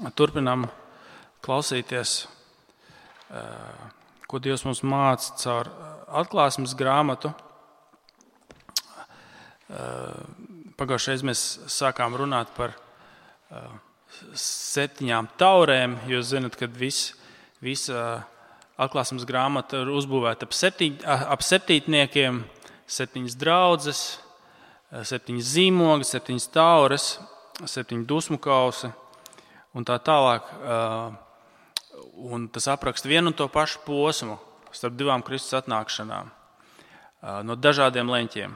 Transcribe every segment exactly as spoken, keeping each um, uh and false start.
turpinām klausīties, ko Dievs mums māca caur atklāsmes grāmatu. Pagājušajā mēs sākām runāt par septiņām taurēm. Jūs zināt, ka vis, visa atklāsmes grāmata ir uzbūvēta ap, septiņ, ap septītniekiem, septiņas draudzes, septiņas zīmogi, septiņas taures, septiņi dusmu kausi un tā tālāk. Un tas apraksta vienu un to pašu posmu starp divām Kristus atnākšanām no dažādiem leņķiem.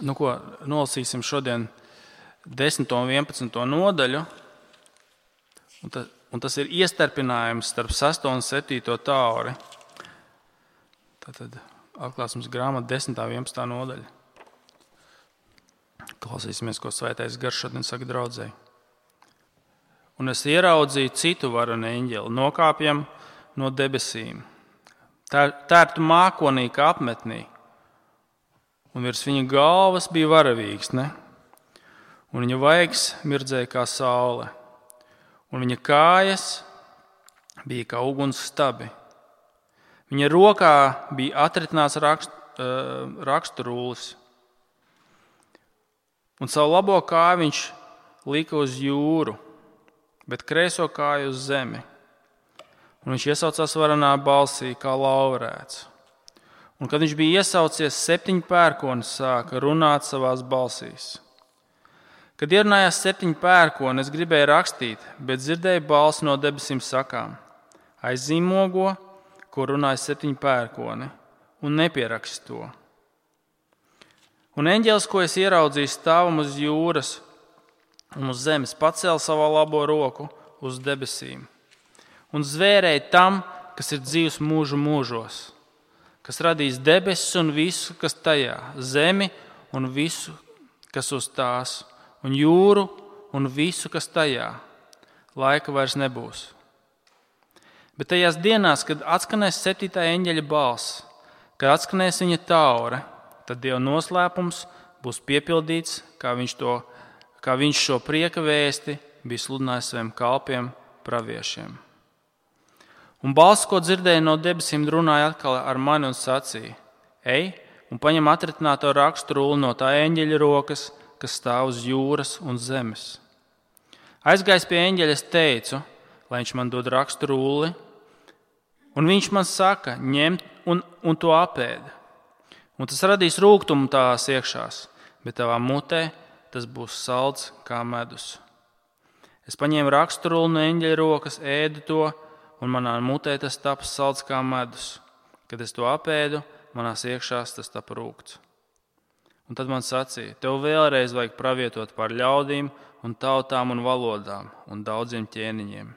Nu, ko nolasīsim šodien desmito un vienpadsmito nodaļu, un, ta, un tas ir iestarpinājums starp sesto un septīto tauri. Tātad atklāsmes grāmata desmitā un vienpadsmitā nodaļa. Klausīsimies, ko Svētais Gars šodien saka draudzei. Un es ieraudzīju citu varenu eņģeli, nokāpjam no debesīm, tērptu mākonī kā apmetnī, un virs viņa galvas bija varavīgs, ne? Un viņa vaigs mirdzēja kā saule, un viņa kājas bija kā uguns stabi. Viņa rokā bija atritināts rakst, uh, raksturūlis, un savu labo kāju viņš lika uz jūru, bet kreiso kāju uz zemi. Un viņš iesaucās varenā balsī kā laurēts. Un kad viņš bija iesaucies, septiņi pērkoni sāka runāt savās balsīs. Kad ierunājās septiņi pērkoni, es gribēju rakstīt, bet dzirdēju balsi no debesīm sakām: aizzīmogo, ko runāja septiņi pērkoni, un nepieraksti to. Un eņģelis, ko es ieraudzīju stāvam uz jūras un uz zemes, pacēla savu labo roku uz debesīm un zvērēja tam, kas ir dzīvs mūžu mūžos, kas radīs debesis un visu, kas tajā, zemi un visu, kas uz tās, un jūru un visu, kas tajā. Laika vairs nebūs. Bet tajās dienās, kad atskanēs septītā eņģeļa balss, kad atskanēs viņa taure, tad Dieva noslēpums būs piepildīts, kā viņš, to, kā viņš šo prieka vēsti bija sludinājis saviem kalpiem, praviešiem. Un balss, ko dzirdēja no debesīm, runāja atkal ar mani un sacīja: ej un paņem atritināto raksturuli no tā eņģeļa rokas, kas stāv uz jūras un zemes. Aizgājis pie eņģeļa, es teicu, lai viņš man dod raksturuli, un viņš man saka: ņem un, un to apēd. Un tas radīs rūgtumu tās iekšās, bet tavā mutē tas būs salds kā medus. Es paņēmu raksturuli no eņģeļa rokas, ēdu to, un manā mutē tas taps salds kā medus. Kad es to apēdu, manās iekšās tas tapa rūgts. Un tad man sacīja: tev vēlreiz vajag pravietot par ļaudīm un tautām un valodām un daudziem ķēniņiem.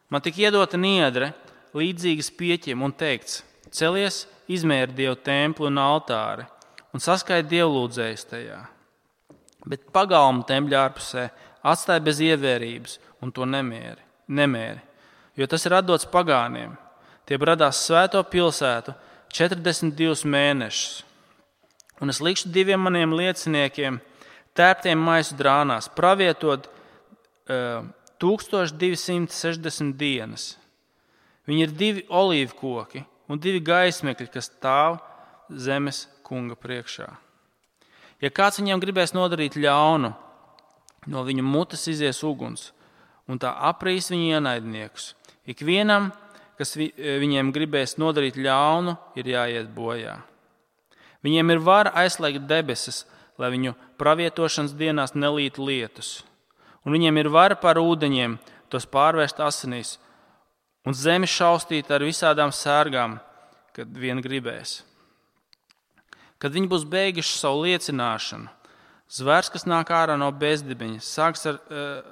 Man tika iedota niedre, līdzīgas pieķiem, un teikts: celies, izmēri Dievu templi un altāri un saskaiti dievlūdzējus tajā. Bet pagalmu tempļa ārpusē atstāja bez ievērības un to nemēri, nemēri, jo tas ir atdots pagāniem. Tie radās svēto pilsētu četrdesmit divus mēnešus. Un es likšu diviem maniem lieciniekiem, tērptiem maisu drānās, pravietot uh, tūkstoš divi simti sešdesmit dienas. Viņi ir divi olīvu koki un divi gaismekļi, kas stāv zemes kunga priekšā. Ja kāds viņiem gribēs nodarīt ļaunu, no viņa mutes izies uguns, un tā aprīs viņu ienaidniekus. Ikvienam, kas vi, viņiem gribēs nodarīt ļaunu, ir jāiet bojā. Viņiem ir vara aizslēgt debesis, lai viņu pravietošanas dienās nelītu lietus. Un viņiem ir vara par ūdeņiem tos pārvērst asinīs un zemi šaustīt ar visādām sērgām, kad vien gribēs. Kad viņi būs beiguši savu liecināšanu, zvērs, kas nāk ārā no bezdibeņa, sāks ar,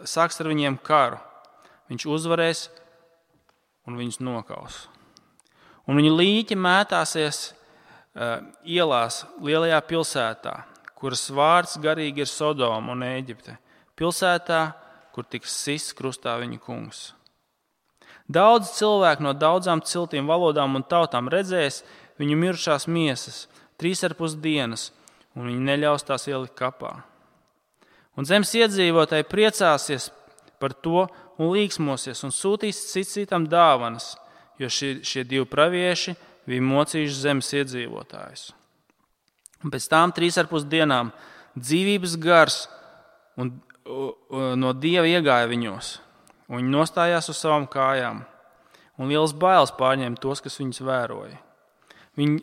sāks ar viņiem karu. Viņš uzvarēs un viņus nokaus. Un viņu līķi mētāsies uh, ielās lielajā pilsētā, kuras vārds garīgi ir Sodoma un Ēģipte, pilsētā, kur tiks sists krustā viņa kungs. Daudz cilvēku no daudzām ciltīm, valodām un tautām redzēs viņu mirušās miesas trīs ar pus dienas, un viņi neļaus tās ielikt kapā. Un zemes iedzīvotāji priecāsies par to un līksmosies un sūtīs cits citam dāvanas, jo šie, šie divi pravieši bija mocījuši zemes iedzīvotājus. Un pēc tām trīs ar pus dienām dzīvības gars un, un, no Dieva iegāja viņos, un viņi nostājās uz savām kājām, un liels bailes pārņēma tos, kas viņus vēroja. Viņi,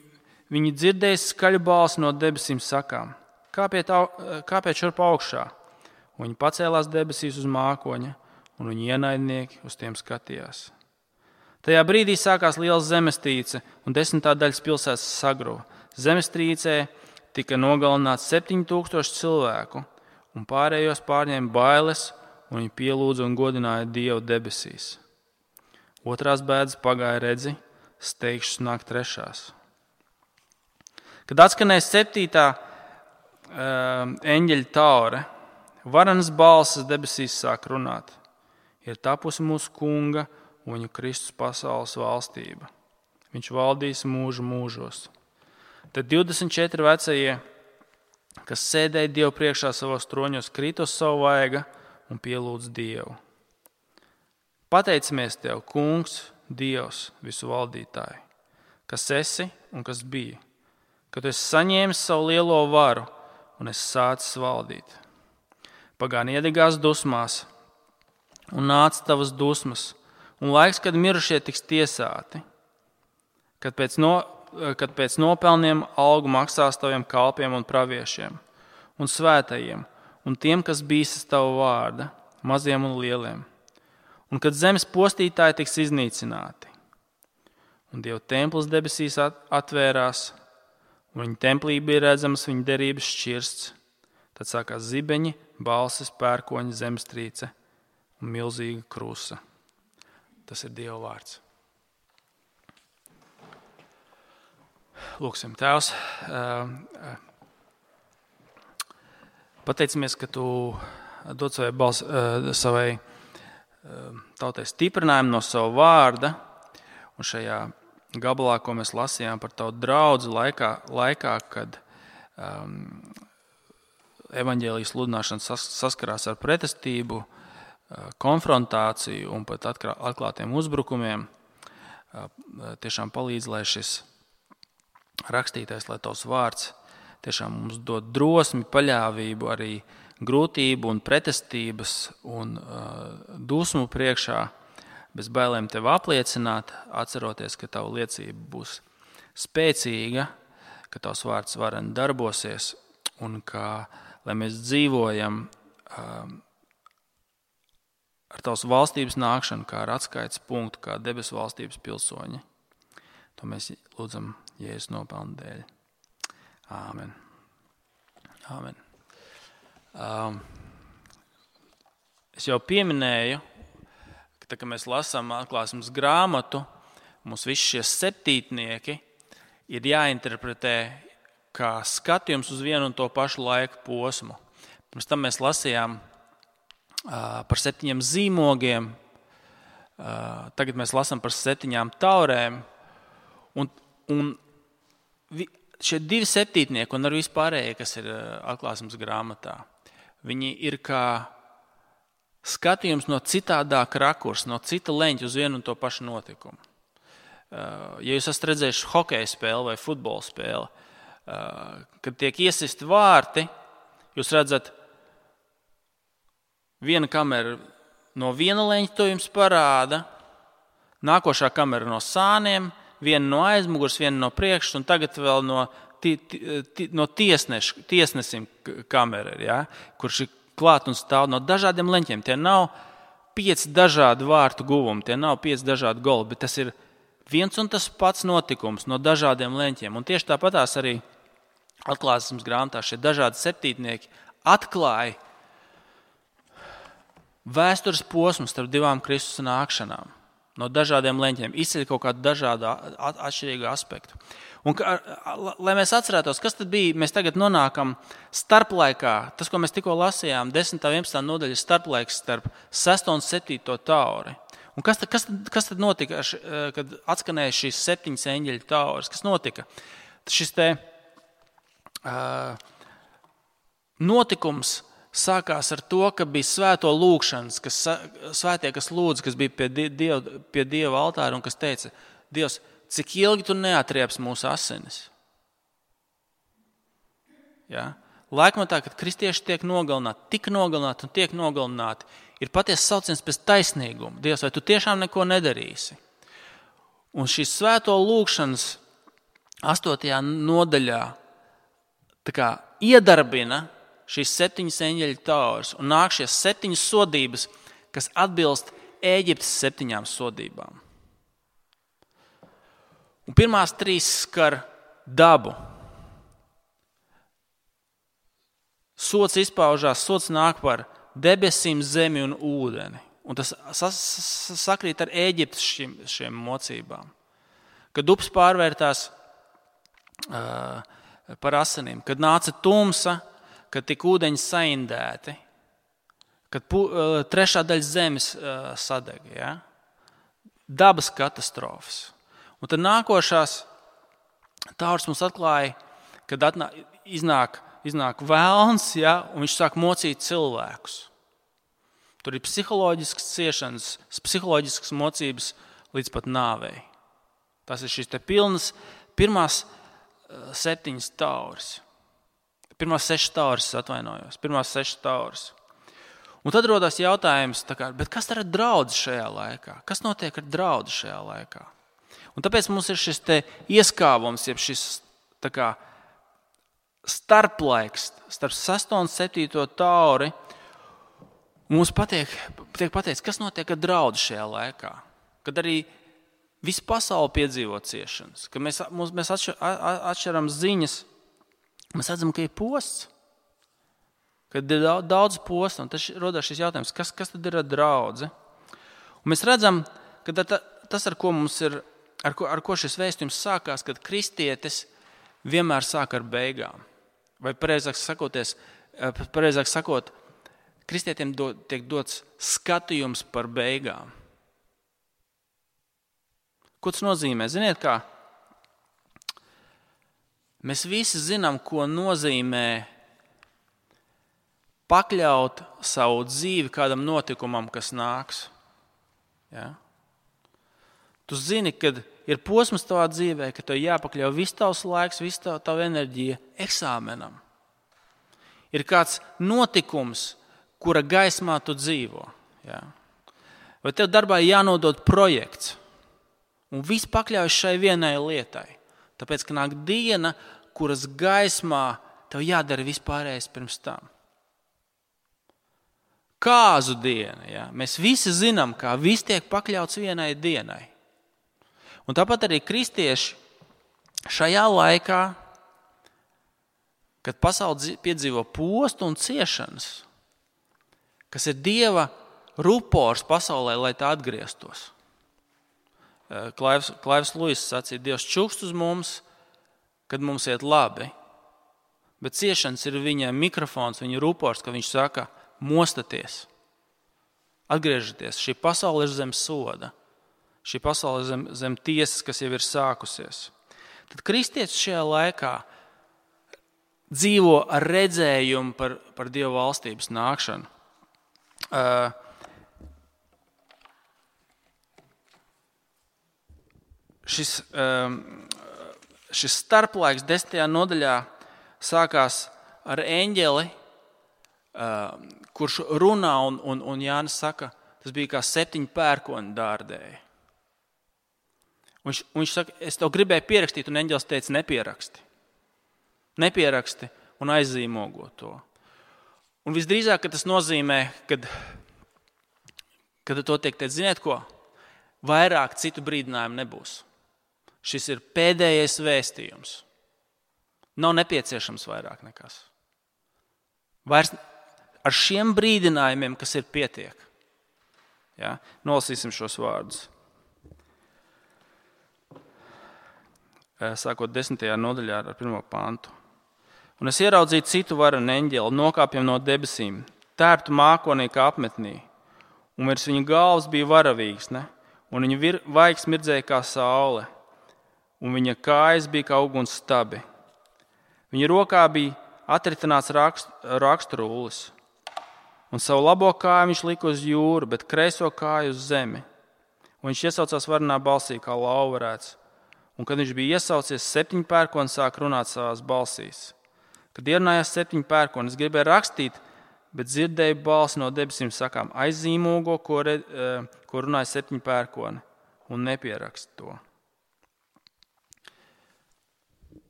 viņi dzirdēja skaļu balsi no debesīm sakām: Kāpiet, kāpiet šurp augšā? Un viņi pacēlās debesīs uz mākoņa, un viņa ienaidnieki uz tiem skatījās. Tajā brīdī sākās liela zemestrīce, un desmitā daļas pilsētas sagruva. Zemestrīcē tika nogalināts septiņi tūkstoši cilvēku, un pārējos pārņēma bailes, un viņi pielūdza un godināja Dievu debesīs. Otrās bēdas pagāja redzi, steigšas nāk trešās. Kad atskanēja septītā uh, eņģeļa taure, varenas balsis debesīs sāk runāt: Ir tapusi mūsu kunga un viņu Kristus pasaules valstība. Viņš valdīs mūžu mūžos. Tad divdesmit četri vecie, kas sēdēja Dievu priekšā savos troņos, krīt uz savu vaiga un pielūdz Dievu. Pateicamies Tev, Kungs, Dievs, visu valdītāji, kas esi un kas bija, ka Tu esi saņēmis savu lielo varu un esi sācis valdīt. Pagāni iedegās dusmās un nāca Tavas dusmas, un laiks, kad mirušie tiks tiesāti, kad pēc, no, kad pēc nopelniem algu maksās Taviem kalpiem un praviešiem un svētajiem un tiem, kas bīstas Tava vārda, maziem un lieliem, un kad zemes postītāji tiks iznīcināti. Un Dieva templis debesīs atvērās, un viņa templī bija redzamas viņa derības šķirsts. Tad sākās zibeņi, balsis, pērkoņi, zemestrīce un milzīga krusa. Tas ir Dieva vārds. Lūksim, Tēvs, pateicamies, ka Tu dod savai, bals, savai tautai stiprinājumu no sava vārda, un šajā gabalā, ko mēs lasījām par Tavu draudzi laikā, laikā kad um, evaņģēlijas sludināšana sas, saskarās ar pretestību, uh, konfrontāciju un pat atklā, atklātiem uzbrukumiem, uh, tiešām palīdz, lai šis rakstītais, lai Tavs vārds tiešām mums dod drosmi, paļāvību arī grūtību un pretestības un uh, dusmu priekšā, bez bailēm Tev apliecināt, atceroties, ka Tava liecība būs spēcīga, ka Tavs vārds varen darbosies un ka, lai mēs dzīvojam uh, ar Tavas valstības nākšanu, kā ar atskaites punktu, kā debesu valstības pilsoņi. To mēs lūdzam Jēzus nopelnu dēļ. Āmen. Āmen. Um, es jau pieminēju, ka tā, kad mēs lasām atklāsmes grāmatu, mums visi šie septītnieki ir jāinterpretē kā skatījums uz vienu un to pašu laika posmu. Pirms tam mēs lasījām uh, par septiņiem zīmogiem, uh, tagad mēs lasām par septiņām taurēm, un, un vi, šie divi septītnieki un arī vispārējie, kas ir uh, atklāsmes grāmatā, viņi ir kā skatījums no citādāka rakursa, no cita leņķa uz vienu un to pašu notikumu. Ja jūs esat redzējuši hokeja spēli vai futbola spēli, kad tiek iesisti vārti, jūs redzat, viena kamera no viena leņķa to jums parāda, nākošā kamera no sāniem, viena no aizmugurs, viena no priekšas, un tagad vēl no, ti, ti, no tiesneš, tiesnesim kamera, ja, kurš ir klāt un stāv no dažādiem leņķiem. Tie nav pieci dažādi vārtu guvumi, tie nav pieci dažādi goli, bet tas ir viens un tas pats notikums no dažādiem leņķiem. Un tieši tāpatās arī atklāsmes grāmatā šie dažādi septītnieki atklāja vēstures posmu starp divām Kristus nākšanām. No dažādiem leņķiem izceļ kaut kādu dažādu atšķirīgu aspektu. Un, lai mēs atcerētos, kas tad bija, mēs tagad nonākam starplaikā, tas, ko mēs tikko lasījām, desmitā un vienpadsmitā nodaļa starplaiks starp sesto un septīto tauri. Un kas tad, kas tad, kas tad notika, kad atskanēja šīs septiņas eņģeļu tauras? Kas notika? Šis te uh, notikums sākās ar to, ka bija svēto lūgšanas, kas, svētie, kas lūdz, kas bija pie Dieva, pie Dieva altāra un kas teica, Dievs, cik ilgi tu neatrieps mūsu asinis? Ja? Laikmatā, kad kristieši tiek nogalināti, tik nogalināti un tiek nogalināti, ir patiesi sauciens pēc taisnīguma. Dievs, vai tu tiešām neko nedarīsi? Un šīs svēto lūgšanas astotajā nodaļā tā kā iedarbina šīs septiņas eņģeļu taures un nāk šies septiņas sodības, kas atbilst Ēģiptes septiņām sodībām. Un pirmās trīs skar dabu. Sots izpaužās, sots nāk par debesīm, zemi un ūdeni. Un tas sakrīt ar Ēģiptes šiem, šiem mocībām. Kad upes pārvērtās uh, par asinīm, kad nāca tumsa, kad tika ūdeņi saindēti, kad pu, uh, trešā daļa zemes uh, sadega. Ja? Dabas katastrofas. Un tad nākošās taurs mums atklāja, kad atnā, iznāk, iznāk velns, ja? Un viņš sāk mocīt cilvēkus. Tur ir psiholoģiskas ciešanas, psiholoģiskas mocības līdz pat nāvei. Tas ir šīs te pilnas pirmās septiņas tauras. Pirmās sešas tauras, atvainojos. Pirmās sešas tauras. Un tad rodās jautājums, tā kā, bet kas tad ir draudz šajā laikā? Kas notiek ar draudz šajā laikā? Un tāpēc mums ir šis te ieskāvums, jeb šis tā kā starplaiks starp sesto un septīto tauri. Mums patiek, tiek pateikts, kas notiek ar draudz šajā laikā. Kad arī visa pasaule piedzīvo ciešanas. Kad mēs, mēs atšķiram ziņas, mēs redzam, ka ir posts. Kad ir daudz posta, un tas rodās šis jautājums, kas, kas tad ir ar draudzi? Un mēs redzam, ka tas, ar ko mums ir, ar ko, ar ko šis vēstījums sākās, kad kristietis vienmēr sāk ar beigām. Vai pareizāk sakoties, pareizāk sakot, kristietiem do, tiek dots skatījums par beigām. Ko tas nozīmē? Ziniet kā? Mēs visi zinām, ko nozīmē pakļaut savu dzīvi kādam notikumam, kas nāks. Ja? Tu zini, kad ir posms tavā dzīvē, ka tev jāpakļauj viss tavs laiks, viss tava, tava enerģija eksāmenam. Ir kāds notikums, kura gaismā tu dzīvo. Ja? Vai tev darbā jānodod projekts, un viss pakļaujas šai vienai lietai. Tāpēc, ka nāk diena, kuras gaismā tev jādara vispārējais pirms tam. Kāzu diena. Ja? Mēs visi zinām, kā viss tiek pakļauts vienai dienai. Un tāpat arī kristieši šajā laikā, kad pasaule piedzīvo postu un ciešanas, kas ir Dieva rupors pasaulē, lai tā atgrieztos. Klaivs, Klaivs Luis sacīja, Dievs čukst uz mums, kad mums iet labi, bet ciešanas ir viņa mikrofons, viņa rupors, ka viņš saka, mostaties, atgriežaties. Šī pasaule ir zem soda. Šī pasaule ir zem, zem tiesas, kas jau ir sākusies. Tad kristietis šajā laikā dzīvo ar redzējumu par, par Dieva valstības nākšanu. Uh, šis, um, šis starplaiks desmitajā nodaļā sākās ar eņģeli, uh, kurš runā un, un, un Jānis saka, tas bija kā septiņi pērkoni dārdēji. Viņš, viņš saka, es tev gribēju pierakstīt, un eņģelis teica, nepieraksti. Nepieraksti un aizzīmogo to. Un visdrīzāk, ka tas nozīmē, kad, kad to tiek teikt, ziniet ko, vairāk citu brīdinājumu nebūs. Šis ir pēdējais vēstījums. Nav nepieciešams vairāk nekas. Vairs ar šiem brīdinājumiem, kas ir pietiek. Ja? Nolasīsim šos vārdus. Sākot desmitajā nodaļā ar pirmo pantu. Un es ieraudzīju citu varenu eņģeli, nokāpjam no debesīm, tērptu mākonīka apmetnī, un virs viņa galvas bija varavīgs, ne? Un viņa vir, vaigs mirdzēja kā saule, un viņa kājas bija kā uguns stabi. Viņa rokā bija atritināts rakst, rakstrūlis, Un savu labo kāju viņš lika uz jūru, bet kreiso kāju uz zemi. Un viņš iesaucās varenā balsī, kā lauvarēts. Un kad viņš bija iesaucies, septiņi pērkoni sāk runāt savās balsīs. Kad ierunājās septiņi pērkoni, es gribēju rakstīt, bet dzirdēju balsi no debesīm sakām, aizīmogo, ko, re, ko runāja septiņi pērkoni, un nepierakst to.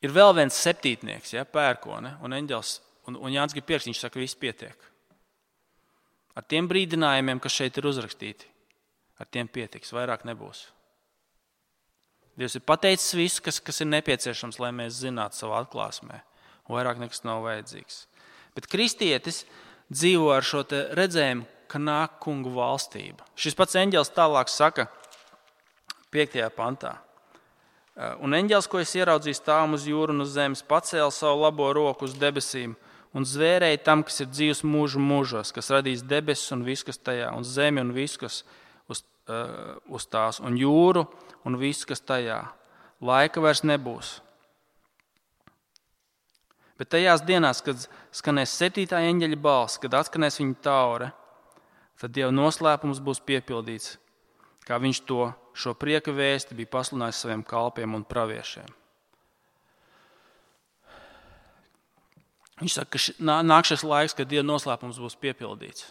Ir vēl viens septītnieks, ja, pērkone, un eņģels, un, un Jānis grib pierakstīt, viņš saka, viss pietiek. Ar tiem brīdinājumiem, kas šeit ir uzrakstīti, ar tiem pietiks, vairāk nebūs. Dievs ir pateicis visu, kas, kas ir nepieciešams, lai mēs zinātu savā atklāsmē, un vairāk nekas nav vajadzīgs. Bet kristietis dzīvo ar šo te redzējumu, ka nāk kungu valstība. Šis pats eņģels tālāk saka piektajā pantā. Un eņģels, ko es ieraudzīju stāvam uz jūru un uz zemes, pacēla savu labo roku uz debesīm un zvērēja tam, kas ir dzīvs mūžu mūžos, kas radīs debesis un visu, kas tajā, un zemi un visu, kas uz, uh, uz tās, un jūru un visu, kas tajā. Laika vairs nebūs. Bet tajās dienās, kad skanēs septītā eņģeļa balss, kad atskanēs viņa taure, tad Dieva noslēpums būs piepildīts, kā viņš to šo prieka vēsti bija pasludinājis saviem kalpiem un praviešiem. Viņš saka, ka ši, nāk šis laiks, kad Dieva noslēpums būs piepildīts.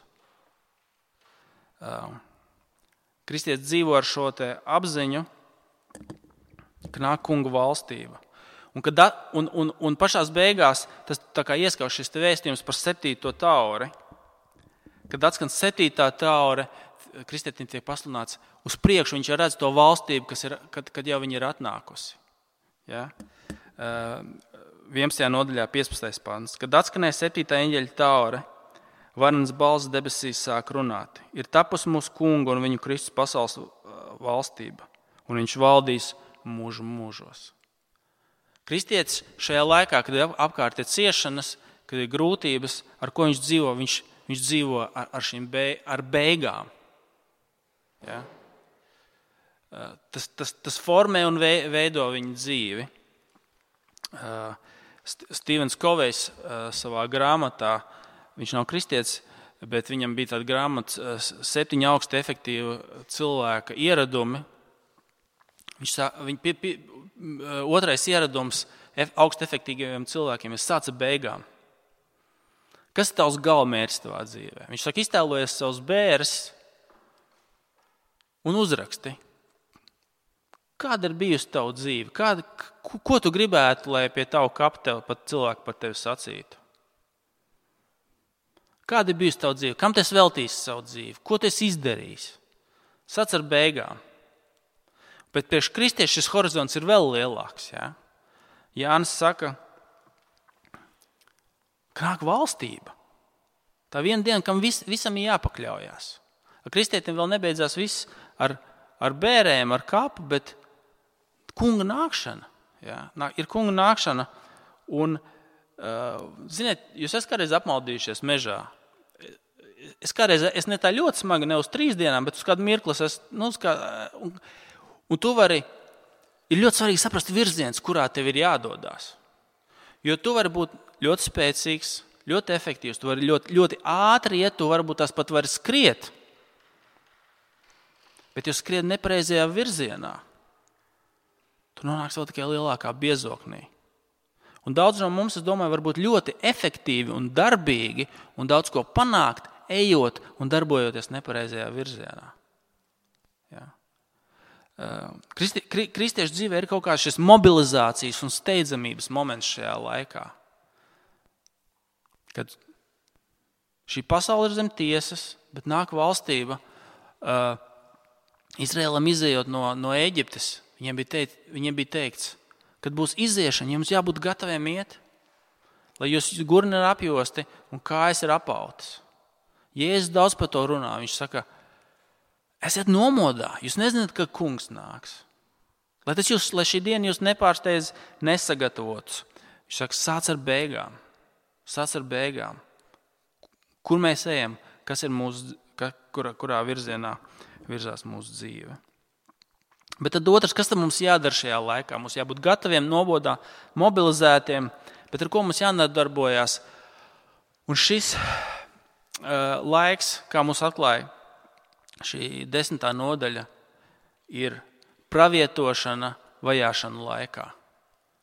Kristietis dzīvo ar šo te apziņu, ka nāk kunga valstība. Un, kad, un, un, un pašās beigās tas tā kā ieskauj šis vēstījums par septīto tauri. Kad atskan septītā taure, kristietim tiek pasludināts uz priekšu, viņš jau redz to valstību, kas ir, kad, kad jau viņa ir atnākusi. Ja? vienpadsmitajā nodaļā piecpadsmitais pants. Kad atskanēja septītā eņģeļa taure, varens balss debesīs sāk runāt. Ir tapus mūsu kungu un viņu Kristus pasaules valstība, un viņš valdīs mūžu mūžos. Kristietis šajā laikā, kad ir apkārt ir ciešanas, kad ir grūtības, ar ko viņš dzīvo, viņš, viņš dzīvo ar, ar šīm be, ar beigām. Ja? Tas, tas, tas formē un veido viņa dzīvi. Stevens Kovejs savā grāmatā, viņš nav kristietis, bet viņam bija tāda grāmata septiņi augsti efektīvi cilvēka ieradumi. Viņš, viņ, pie, pie, otrais ieradums augsti efektīviem cilvēkiem ir sāc ar beigām. Kas ir tavs galvmērķis tavā dzīvē? Viņš saka, iztēlojies savus bērus un uzraksti. Kāda ir bijusi tava dzīve? Kāda, ko, ko tu gribētu, lai pie tavu kapu tev, pat cilvēki par tevi sacītu? Kāda ir bijusi tava dzīve? Kam tu esi veltījis savu dzīvi? Ko tu esi izdarījis? Sac ar beigām. Bet priekš kristiešu šis horizonts ir vēl lielāks. Ja? Jānis saka, ka nāk valstība. Tā viena diena, kam vis, visam ir jāpakļaujās. Ar kristietim vēl nebeidzās viss ar, ar bērēm, ar kapu, bet kunga nākšana. Ja? Ir kunga nākšana. Un, uh, ziniet, jūs esat kādreiz apmaldījušies mežā. Es kādreiz, es ne tā ļoti smagi, ne uz trīs dienām, bet uz kādu mirkli es, nu, uz kā, un, un tu vari, ir ļoti svarīgi saprast virziens, kurā tev ir jādodās. Jo tu vari būt ļoti spēcīgs, ļoti efektīvs, tu vari ļoti, ļoti ātri iet, tu varbūt tās pat vari skriet. Bet jūs skriet nepareizajā virzienā. Tu nonāks vēl tikai lielākā biezoknī. Un daudz no mums, es domāju, var būt ļoti efektīvi un darbīgi un daudz ko panākt, ejot un darbojoties nepareizajā virzienā. Ja. Kristi, kri, kristiešu dzīvē ir kaut kāds šis mobilizācijas un steidzamības moments šajā laikā. Kad šī pasaule ir zem tiesas, bet nāk valstība, uh, Izraēlam izejot no, no Ēģiptes, viņiem bija, teikt, viņiem bija teikts, kad būs iziešana, jums jābūt gataviem iet, lai jūs gurni ir apjosti un kājas ir apautas. Jēzus daudz par to runā. Viņš saka, esiet nomodā, jūs nezināt, ka kungs nāks. Lai, jūs, lai šī diena jūs nepārsteidz nesagatavotus. Viņš saka, sāc ar beigām. Sāc ar beigām. Kur mēs ejam? Kas ir mūsu, kurā, kurā virzienā virzās mūsu dzīve? Bet tad otrs, kas tad mums jādara šajā laikā? Mums jābūt gataviem, nobodā, mobilizētiem, bet ar ko mums jānodarbojas. Un šis uh, laiks, kā mums atklāja šī desmitā nodaļa, ir pravietošana vajāšana laikā.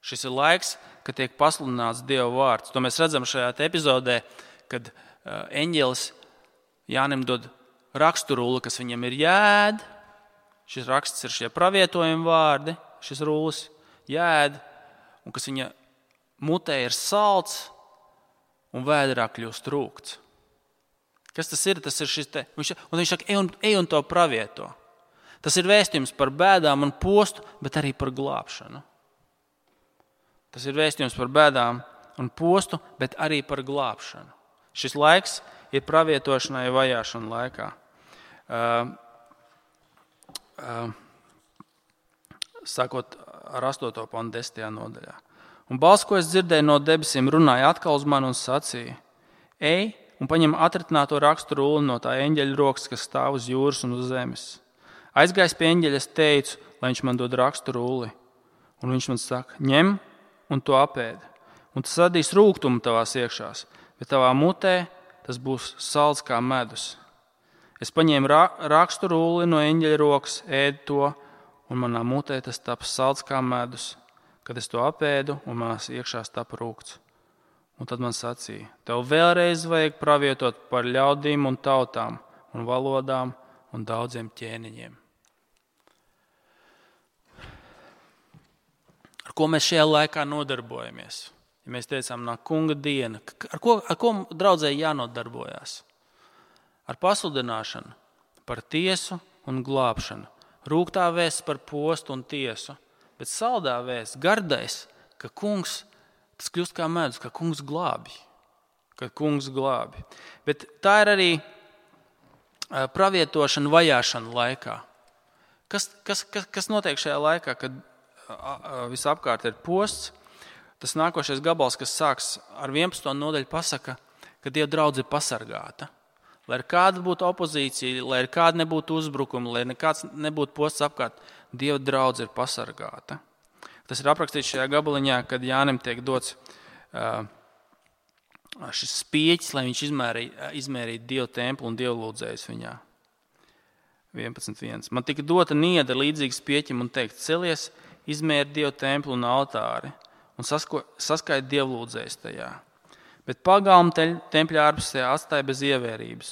Šis ir laiks, kad tiek pasludināts Dieva vārds. To mēs redzam šajā epizodē, kad uh, eņģelis Jānim dod raksturulli, kas viņam ir jāēd. Šis raksts ir šie pravietojumi vārdi, šis rullis jāēd, un kas viņa mutē ir salds un vēderā kļūst rūgts. Kas tas ir? Tas ir šis te, viņš, un viņš saka, ej un, ej un to pravieto. Tas ir vēstījums par bēdām un postu, bet arī par glābšanu. Tas ir vēstījums par bēdām un postu, bet arī par glābšanu. Šis laiks ir pravietošanai vajāšana laikā. Uh, uh, sākot ar astoto pantu desmitajā nodaļā. Un balss, ko es dzirdēju no debesīm, runāja atkal uz mani un sacīja: ej un paņem atritināto raksturulli no tā eņģeļa rokas, kas stāv uz jūras un uz zemes. Aizgājis pie eņģeļa, es teicu, lai viņš man dod raksturulli. Un viņš man saka: ņem un to apēd. Un tas radīs rūgtumu tavās iekšās, bet tavā mutē tas būs salds kā medus. Es paņēmu raksturulli no eņģeļa rokas, ēdu to, un manā mutē tas taps salds kā medus. Kad es to apēdu, un manās iekšās tapa rūgts. Un tad man sacīja: tev vēlreiz vajag pravietot par ļaudīm un tautām un valodām un daudziem ķēniņiem. Ar ko mēs šajā laikā nodarbojamies? Ja mēs teicām, nāk kunga diena, ar ko, ar ko draudzēji jānodarbojas? Ar pasludināšanu, par tiesu un glābšanu. Rūgtā vēsts par postu un tiesu, bet saldā vēsts, gardais, ka kungs, tas kļūst kā medus, ka kungs glābi. Ka kungs glābi. Bet tā ir arī pravietošana vajāšana laikā. Kas, kas, kas, kas notiek šajā laikā, kad visapkārt ir posts? Tas nākošais gabals, kas sāks ar vienpadsmito nodaļu, pasaka, ka Dieva draudze ir pasargāta. Lai ir kāda būtu opozīcija, lai ir kāda nebūtu uzbrukuma, lai nekāds nebūtu posts apkārt, Dieva draudze ir pasargāta. Tas ir aprakstīts šajā gabaliņā, kad Jānim tiek dots uh, šis spieķis, lai viņš izmērītu izmērīt Dieva templi un dievlūdzējus viņā. vienpadsmit viens. Man tika dota nieda līdzīga spieķim un teikt: celies, izmēri Dieva templi un altāri un sasko, saskaiti dievlūdzējus tajā. Bet pagalmu tempļa ārpusē atstāja bez ievērības,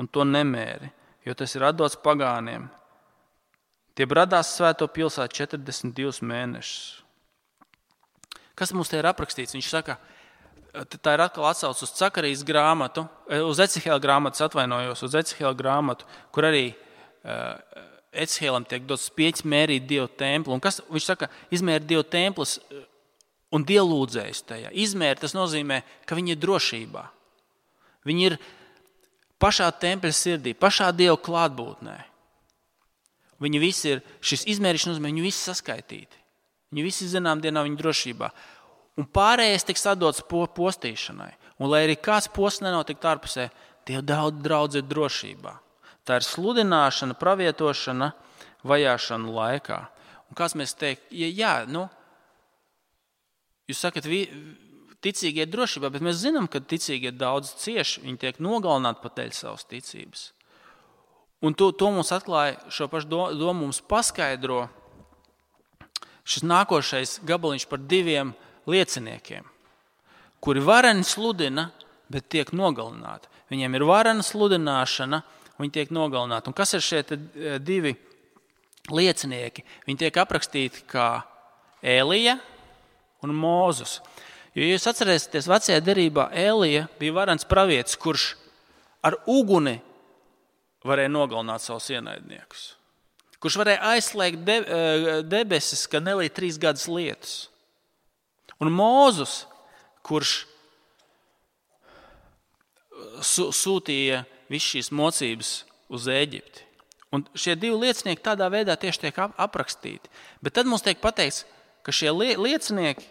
un to nemēri, jo tas ir atdots pagāniem. Tie bradās svēto pilsētu četrdesmit divus mēnešus. Kas mums te ir aprakstīts? Viņš saka, tā ir atkal atsauc uz Cakarijas grāmatu, uz Ecihēla grāmatas atvainojos, uz Ecihēla grāmatu, kur arī uh, Ecihēlam tiek dots spieķis mērīt Dieva templi. Un kas, viņš saka, izmēri Dieva templis un dievlūdzējus tajā. Izmēri, tas nozīmē, ka viņi ir drošībā. Viņi ir pašā tempļa sirdī, pašā Dieva klātbūtnē. Viņi visi ir, šis izmērīšanas nozīmē, viņi visi saskaitīti. Viņi visi zinām dienā viņa drošībā. Un pārējais tiks atdots postīšanai. Un lai arī kāds posts nenotikt ārpusē, Dieva daudz draudz ir drošībā. Tā ir sludināšana, pravietošana, vajāšana laikā. Un kāds mēs teikt, ja jā, nu, jūs sakat, ticīgie ir drošībā, bet mēs zinām, ka ticīgie daudz cieši, viņi tiek nogalināti pat dēļ savas ticības. Un to, to mums atklāja, šo pašu domu mums paskaidro šis nākošais gabaliņš par diviem lieciniekiem, kuri vareni sludina, bet tiek nogalināti. Viņiem ir varena sludināšana, viņi tiek nogalināti. Un kas ir šie divi liecinieki? Viņi tiek aprakstīti kā Ēlija un Mūzus. Jo jūs atcerēsieties, vecajā derībā Ēlija bija varens pravietis, kurš ar uguni varēja nogalināt savus ienaidniekus. Kurš varēja aizslēgt de, debesis, ka nelīd trīs gadus lietus. Un Mūzus, kurš sūtīja visu šīs mocības uz Ēģipti. Un šie divi liecinieki tādā veidā tieši tiek aprakstīti. Bet tad mums tiek pateikts, ka šie liecinieki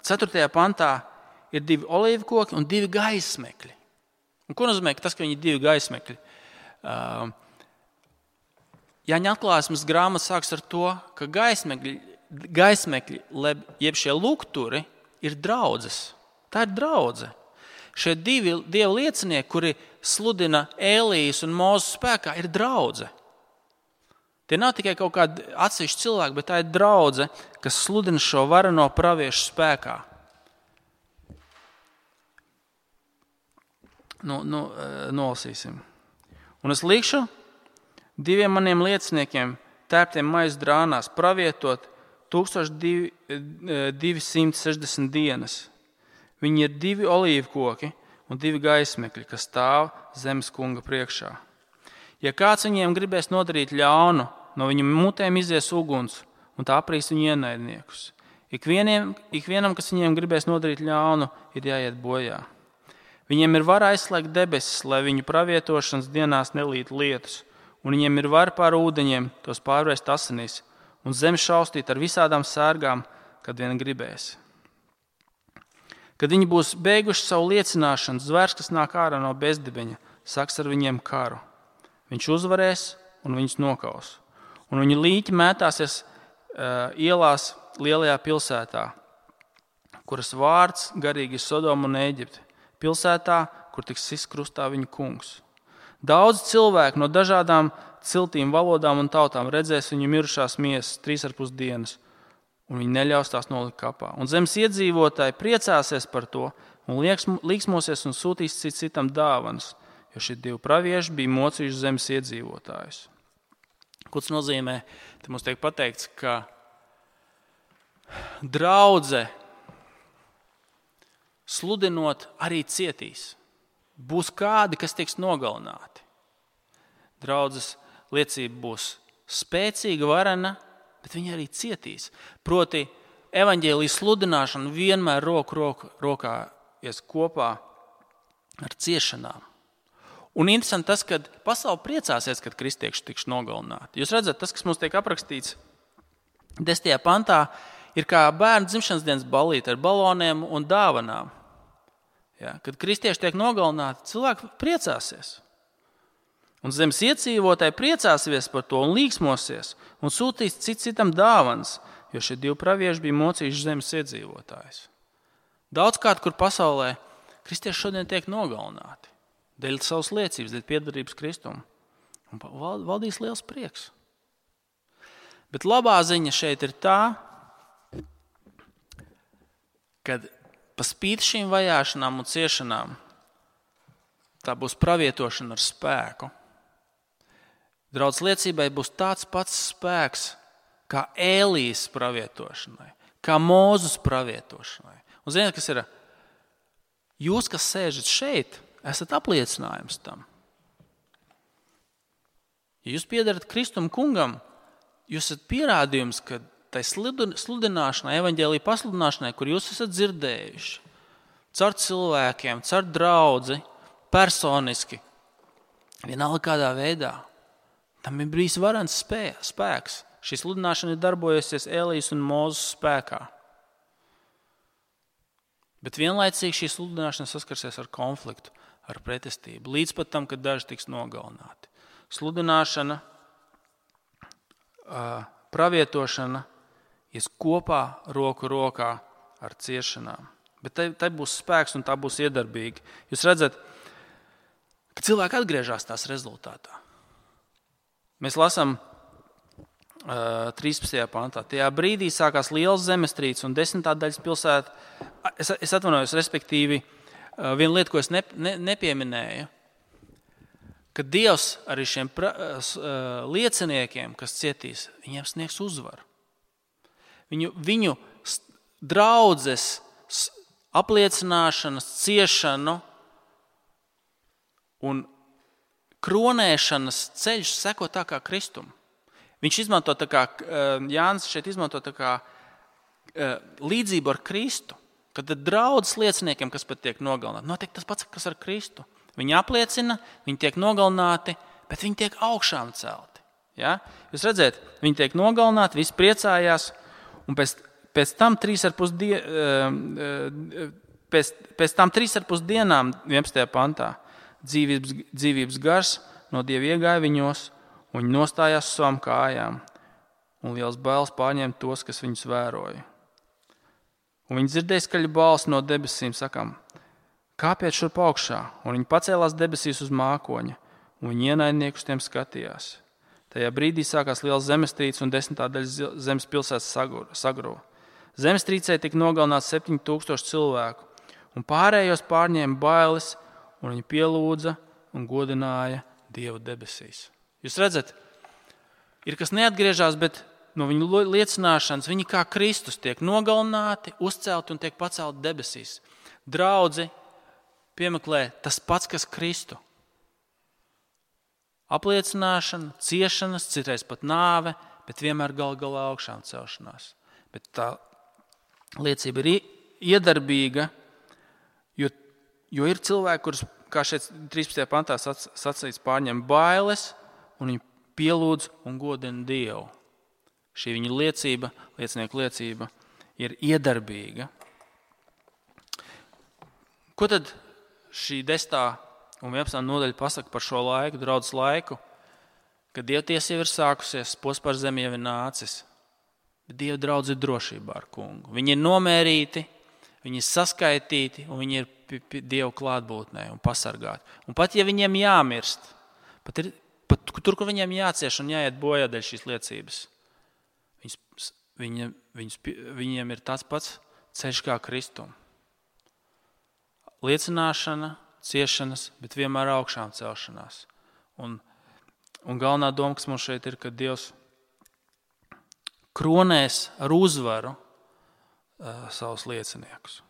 ceturtajā pantā ir divi olīvkoki un divi gaismekļi. Un ko nozīmē, ka tas, ka viņi ir divi gaismekļi? Jāņa atklāsmes grāmata sāks ar to, ka gaismekļi gaismekļi, jeb šie lukturi, ir draudzes. Tā ir draudze. Šie divi Dieva liecinieki, kuri sludina Ēlijas un Mūzes spēkā, ir draudze. Tie nav tikai kaut kādi atsevišķi cilvēki, bet tā ir draudze, kas sludina šo vareno praviešu spēkā. Nu, nu, nolasīsim. Un es likšu diviem maniem lieciniekiem, tērptiem maize drānās, pravietot tūkstoš divsimt sešdesmit dienas. Viņi ir divi olīvu koki un divi gaismekļi, kas stāv zemes kunga priekšā. Ja kāds viņiem gribēs nodarīt ļaunu, no viņu mutēm izies uguns un tā aprīs viņu ienaidniekus. Ikvienam, ikvienam, kas viņiem gribēs nodarīt ļaunu, ir jāiet bojā. Viņiem ir vara aizslēgt debesis, lai viņu pravietošanas dienās nelīt lietus, un viņiem ir vara pār ūdeņiem tos pārvērst asinīs un zemi šaustīt ar visādām sērgām, kad vien gribēs. Kad viņi būs beiguši savu liecināšanu, zvērs, kas nāk ārā no bezdibeņa, saks ar viņiem karu. Viņš uzvarēs un viņus nokaus. Un viņa līķi mētāsies uh, ielās lielajā pilsētā, kuras vārds garīgi ir Sodoma un Ēģipte. Pilsētā, kur tiks sists krustā viņa kungs. Daudz cilvēku no dažādām ciltīm, valodām un tautām redzēs viņu mirušās miesas trīs ar pus dienas, un viņi neļaus tās nolikt kapā. Un zemes iedzīvotāji priecāsies par to un līksmosies un sūtīs cit citam dāvanas, jo šie divi pravieši bija mocījuši zemes iedzīvotājus. Ko tas nozīmē? Te mums tiek pateikts, ka draudze sludinot arī cietīs. Būs kādi, kas tiks nogalināti. Draudzes liecība būs spēcīga, varena, bet viņi arī cietīs. Proti, evaņģēlijas sludināšana vienmēr roku, roku rokā ies kopā ar ciešanām. Un interesanti tas, ka pasaule priecāsies, kad kristieši tiks nogalināti. Jūs redzat, tas, kas mums tiek aprakstīts desmitajā pantā, ir kā bērnu dzimšanas dienas ballīte ar baloniem un dāvanām. Ja, kad kristieši tiek nogalināti, cilvēki priecāsies. Un zemes iedzīvotāji priecāsies par to un līksmosies un sūtīs cit citam dāvanas, jo šie divi pravieši bija mocījuši zemes iedzīvotājus. Daudzkārt, kur pasaulē kristieši šodien tiek nogalināti dēļ savas liecības, dēļ piederības Kristum. Un valdīs liels prieks. Bet labā ziņa šeit ir tā, kad pa spīti šīm vajāšanām un ciešanām tā būs pravietošana ar spēku. Draudz liecībai būs tāds pats spēks kā Ēlijas pravietošanai, kā Mūzes pravietošanai. Un ziniet, kas ir? Jūs, kas sēžat šeit, esat apliecinājums tam. Ja jūs piedarat Kristum kungam, jūs esat pierādījums, ka tai sludināšanai, evaņģēlija pasludināšanai, kur jūs esat dzirdējuši, caur cilvēkiem, caur draudzi, personiski, vienalga kādā veidā, tam ir bijis varens spēks. Šī sludināšana ir darbojusies Ēlijas un Mūzes spēkā. Bet vienlaicīgi šī sludināšana saskarsies ar konfliktu, ar pretestību, līdz pat tam, kad daži tiks nogalināti. Sludināšana, pravietošana ies kopā roku rokā ar ciešanām. Bet tai, tai būs spēks un tā būs iedarbīga. Jūs redzat, ka cilvēki atgriežas tās rezultātā. Mēs lasām uh, trīspadsmitajā pantā. Tajā brīdī sākās liels zemestrīces un desmitā daļas pilsēta. Es, es atvainojos, respektīvi, uh, viena lieta, ko es ne, ne, nepieminēju, ka Dievs arī šiem pra, uh, lieciniekiem, kas cietīs, viņiem sniegs uzvaru. Viņu, viņu draudzes apliecināšanas, ciešanu un kronēšanas ceļš seko tā kā Kristum. Viņš izmanto tā kā, Jānis šeit izmanto tā kā līdzību ar Kristu, kad draudzes lieciniekiem, kas pat tiek nogalināti, notiek tas pats, kas ar Kristu. Viņi apliecina, viņi tiek nogalināti, bet viņi tiek augšām celti. Ja? Jūs redzēt, viņi tiek nogalināti, visi priecājās, un pēc, pēc tam trīs ar pus die, pēc, pēc tam trīs ar pus dienām, vienpadsmitajā pantā, dzīvības, dzīvības gars no Dieva iegāja viņos, un viņi nostājās uz savām kājām. un liels bailes pārņēma tos, kas viņus vēroja. Un viņi dzirdēja skaļu balsi no debesīm, sakām, kāpiet šurp augšā, un viņi pacēlās debesīs uz mākoņa, un viņi ienaidnieku uz tiem skatījās. Tajā brīdī sākās liels zemestrīce, un desmitā daļa zemes pilsētas sagruva. Zemestrīcē tika nogalināts septiņi tūkstoši cilvēku, un pārējos pārņēma bailes, un viņi pielūdza un godināja Dievu debesīs. Jūs redzat, ir kas neatgriežās, bet no viņu liecināšanas viņi kā Kristus tiek nogalināti, uzcelti un tiek pacelti debesīs. Draudzi piemeklē tas pats, kas Kristu. Apliecināšana, ciešanas, citreiz pat nāve, bet vienmēr gal galā augšām celšanās. Bet tā liecība ir iedarbīga, jo, jo ir cilvēki, kurus, kā šeit trīspadsmitajā pantā sacīts, pārņem bailes un viņi pielūdz un godina Dievu. Šī viņa liecība, liecinieku liecība, ir iedarbīga. Ko tad šī desmitā un vienpadsmitā nodaļa pasaka par šo laiku, draudzes laiku, kad Dievtiesa jau ir sākusies, posms par zemi jau ir nācis, bet Dieva draudze ir drošībā ar kungu. Viņi ir nomērīti, viņi ir saskaitīti un viņi ir p- p- Dieva klātbūtnē un pasargāti. Un pat ja viņiem jāmirst, pat, ir, pat tur, kur viņiem jācieš un jāiet bojā dēļ šīs liecības, viņas, viņa, viņas, viņiem ir tāds pats ceļš kā Kristum. Liecināšana, ciešanas, bet vienmēr augšām celšanās. Un, un galvenā doma, kas mums šeit ir, ka Dievs kronēs ar uzvaru uh, savus lieciniekus.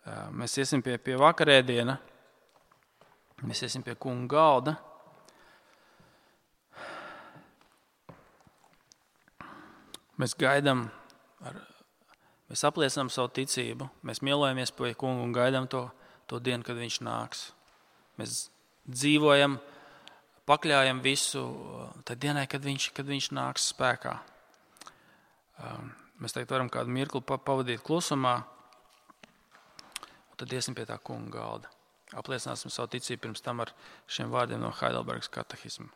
Uh, mēs iesim pie, pie vakarēdiena, mēs iesim pie kunga galda. Mēs gaidām, ar, mēs apliecinām savu ticību, mēs mielojamies pie kunga un gaidām to, to dienu, kad viņš nāks. Mēs dzīvojam, pakļājam visu tad dienai, kad viņš, kad viņš nāks spēkā. Mēs tagad varam kādu mirkli pavadīt klusumā, un tad iesim pie tā kunga galda. Apliecināsim savu ticību pirms tam ar šiem vārdiem no Heidelbergas katehisma.